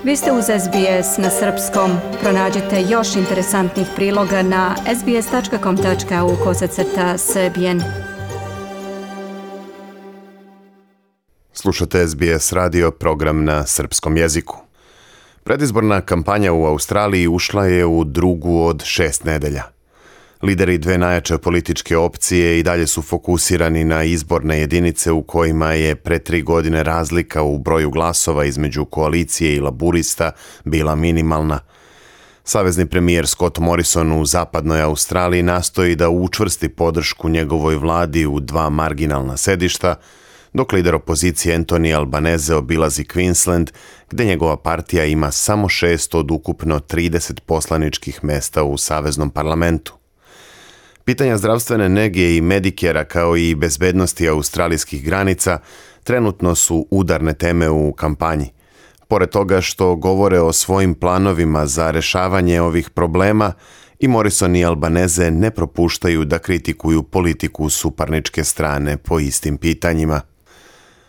Vi ste uz SBS na srpskom. Pronađite još interesantnih priloga na sbs.com.au/srbijen. Slušate SBS radio, program na srpskom jeziku. Predizborna kampanja u Australiji ušla je u drugu od 6 nedelja. Lideri dve najjače političke opcije i dalje su fokusirani na izborne jedinice u kojima je pre 3 godine razlika u broju glasova između koalicije i laburista bila minimalna. Savezni premijer Scott Morrison u zapadnoj Australiji nastoji da učvrsti podršku njegovoj vladi u 2 marginalna sedišta, dok lider opozicije Anthony Albanese obilazi Queensland, gdje njegova partija ima samo 6 od ukupno 30 poslaničkih mesta u saveznom parlamentu. Pitanja zdravstvene nege i Medicarea kao i bezbednosti australijskih granica trenutno su udarne teme u kampanji. Pored toga što govore o svojim planovima za rešavanje ovih problema, i Morrison i Albanese ne propuštaju da kritikuju politiku suparničke strane po istim pitanjima.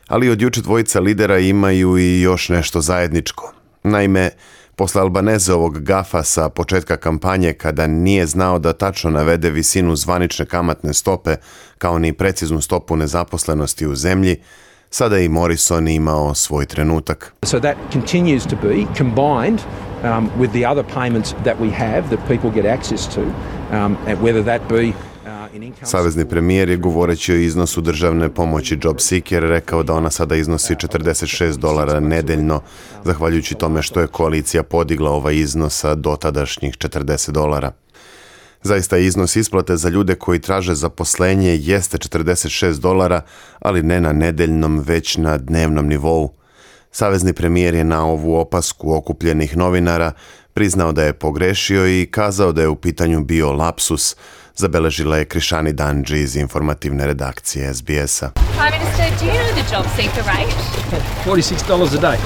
Ali od juče dvojica lidera imaju i još nešto zajedničko. Naime, posle Albaneseovog gafa sa početka kampanje kada nije znao da tačno navede visinu zvanične kamatne stope kao ni preciznu stopu nezaposlenosti u zemlji, sada je i Morrison imao svoj trenutak. So that continues to be combined with the other payments that we have that people get access to, and whether that be Savezni premijer je govoreći o iznosu državne pomoći JobSeeker rekao da ona sada iznosi $46 nedeljno, zahvaljujući tome što je koalicija podigla ovaj iznos sa dotadašnjih $40. Zaista iznos isplate za ljude koji traže zaposlenje jeste $46, ali ne na nedeljnom, već na dnevnom nivou. Savezni premijer je na ovu opasku okupljenih novinara priznao da je pogrešio i kazao da je u pitanju bio lapsus, zabeležila je Krišani Danđi iz informativne redakcije SBS-a. Prime Minister, do you know the JobSeeker rate? $46 a day.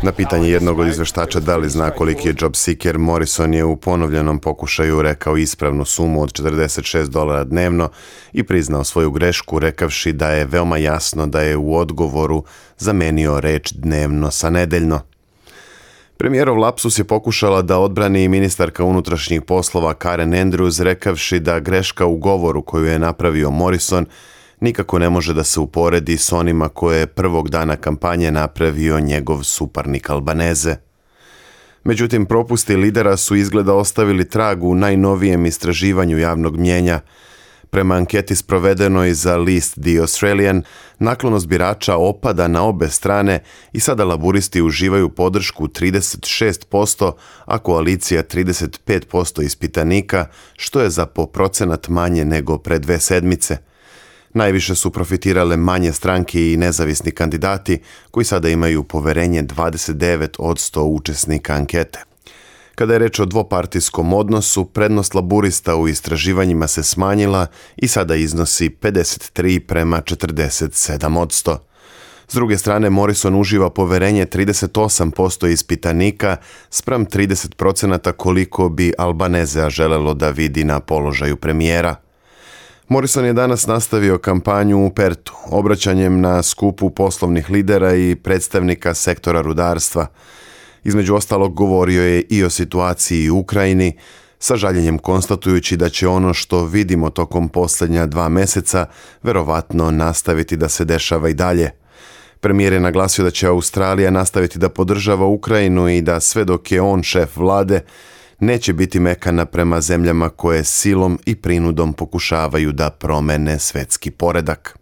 Na pitanje jednog od izveštača da li zna koliki je JobSeeker, Morrison je u ponovljenom pokušaju rekao ispravnu sumu od $46 dnevno i priznao svoju grešku rekavši da je veoma jasno da je u odgovoru zamenio reč dnevno sa nedeljno. Premijerov lapsus je pokušala da odbrani i ministarka unutrašnjih poslova Karen Andrews rekavši da greška u govoru koju je napravio Morrison nikako ne može da se uporedi s onima koje je prvog dana kampanje napravio njegov suparnik Albanese. Međutim, propusti lidera su izgleda ostavili trag u najnovijem istraživanju javnog mnjenja. Prema anketi sprovedenoj za list The Australian, naklonost birača opada na obe strane i sada laburisti uživaju podršku 36%, a koalicija 35% ispitanika, što je za po procenat manje nego pre 2 sedmice. Najviše su profitirale manje stranke i nezavisni kandidati, koji sada imaju poverenje 29% učesnika ankete. Kada je reč o dvopartijskom odnosu, prednost laburista u istraživanjima se smanjila i sada iznosi 53:47%. S druge strane, Morrison uživa poverenje 38% ispitanika spram 30% koliko bi Albanesea želelo da vidi na položaju premijera. Morrison je danas nastavio kampanju u Pertu, obraćanjem na skupu poslovnih lidera i predstavnika sektora rudarstva. Između ostalog govorio je i o situaciji u Ukrajini, sa žaljenjem konstatujući da će ono što vidimo tokom posljednja 2 meseca verovatno nastaviti da se dešava i dalje. Premijer je naglasio da će Australija nastaviti da podržava Ukrajinu i da sve dok je on šef vlade, neće biti mekana prema zemljama koje silom i prinudom pokušavaju da promene svetski poredak.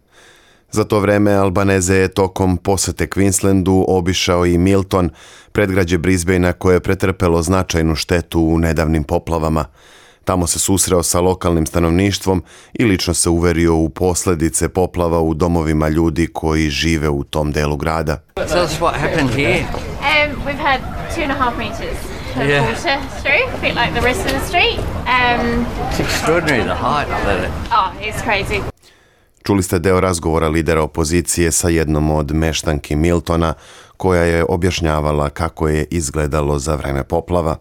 Za to vreme Albanese je tokom posete Queenslandu obišao i Milton, predgrađe Brisbanea koje je pretrpelo značajnu štetu u nedavnim poplavama. Tamo se susreo sa lokalnim stanovništvom i lično se uverio u posljedice poplava u domovima ljudi koji žive u tom delu grada. Tell us what happened here. We've had 2.5 meters of water through, a bit like the rest of the street. It's extraordinary the height of it. Oh, it's crazy. Čuli ste deo razgovora lidera opozicije sa jednom od meštanki Miltona, koja je objašnjavala kako je izgledalo za vreme poplava.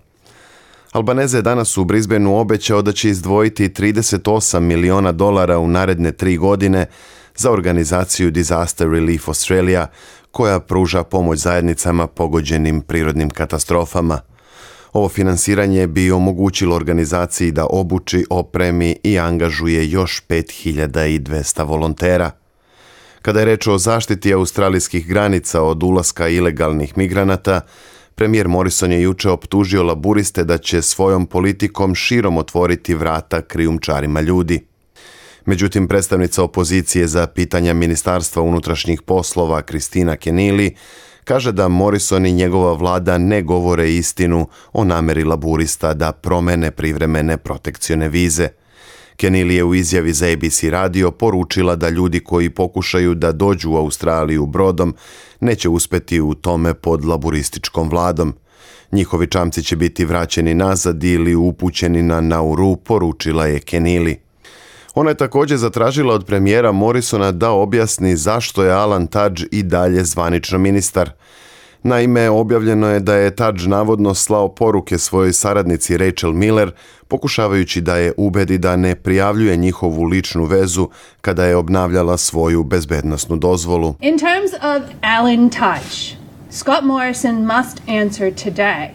Albanese je danas u Brisbaneu obećao da će izdvojiti $38 miliona u naredne 3 godine za organizaciju Disaster Relief Australia, koja pruža pomoć zajednicama pogođenim prirodnim katastrofama. Ovo finansiranje bi omogućilo organizaciji da obuči, opremi i angažuje još 5200 volontera. Kada je reč o zaštiti australijskih granica od ulaska ilegalnih migranata, premijer Morrison je juče optužio laburiste da će svojom politikom širom otvoriti vrata krijumčarima ljudi. Međutim, predstavnica opozicije za pitanja Ministarstva unutrašnjih poslova Kristina Keneally kaže da Morrison i njegova vlada ne govore istinu o nameri laburista da promene privremene protekcione vize. Keneally je u izjavi za ABC radio poručila da ljudi koji pokušaju da dođu u Australiju brodom neće uspeti u tome pod laburističkom vladom. Njihovi čamci će biti vraćeni nazad ili upućeni na Nauru, poručila je Keneally. Ona je također zatražila od premijera Morrisona da objasni zašto je Alan Tudge i dalje zvanično ministar. Naime, objavljeno je da je Tudge navodno slao poruke svojoj saradnici Rachel Miller, pokušavajući da je ubedi da ne prijavljuje njihovu ličnu vezu kada je obnavljala svoju bezbednosnu dozvolu. In terms of Alan Tudge, Scott Morrison must answer today.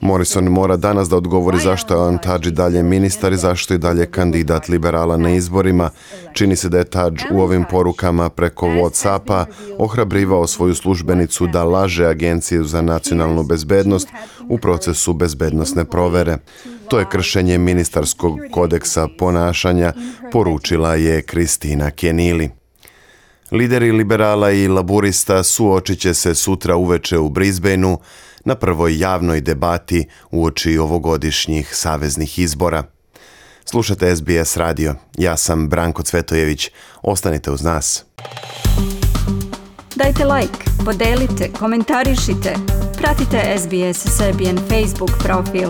Morrison mora danas da odgovori zašto je Alan Tudge dalje ministar i zašto je dalje kandidat liberala na izborima. Čini se da je Tudge u ovim porukama preko WhatsAppa ohrabrivao svoju službenicu da laže Agenciju za nacionalnu bezbednost u procesu bezbednosne provere. To je kršenje ministarskog kodeksa ponašanja, poručila je Kristina Keneally. Lideri liberala i laburista suočit će se sutra uveče u Brisbaneu na prvoj javnoj debati uoči ovogodišnjih saveznih izbora. Slušate SBS radio. Ja sam Branko Cvetojević. Ostanite uz nas. Dajte like, podelite, komentarišite. Pratite SBS Serbian Facebook profil.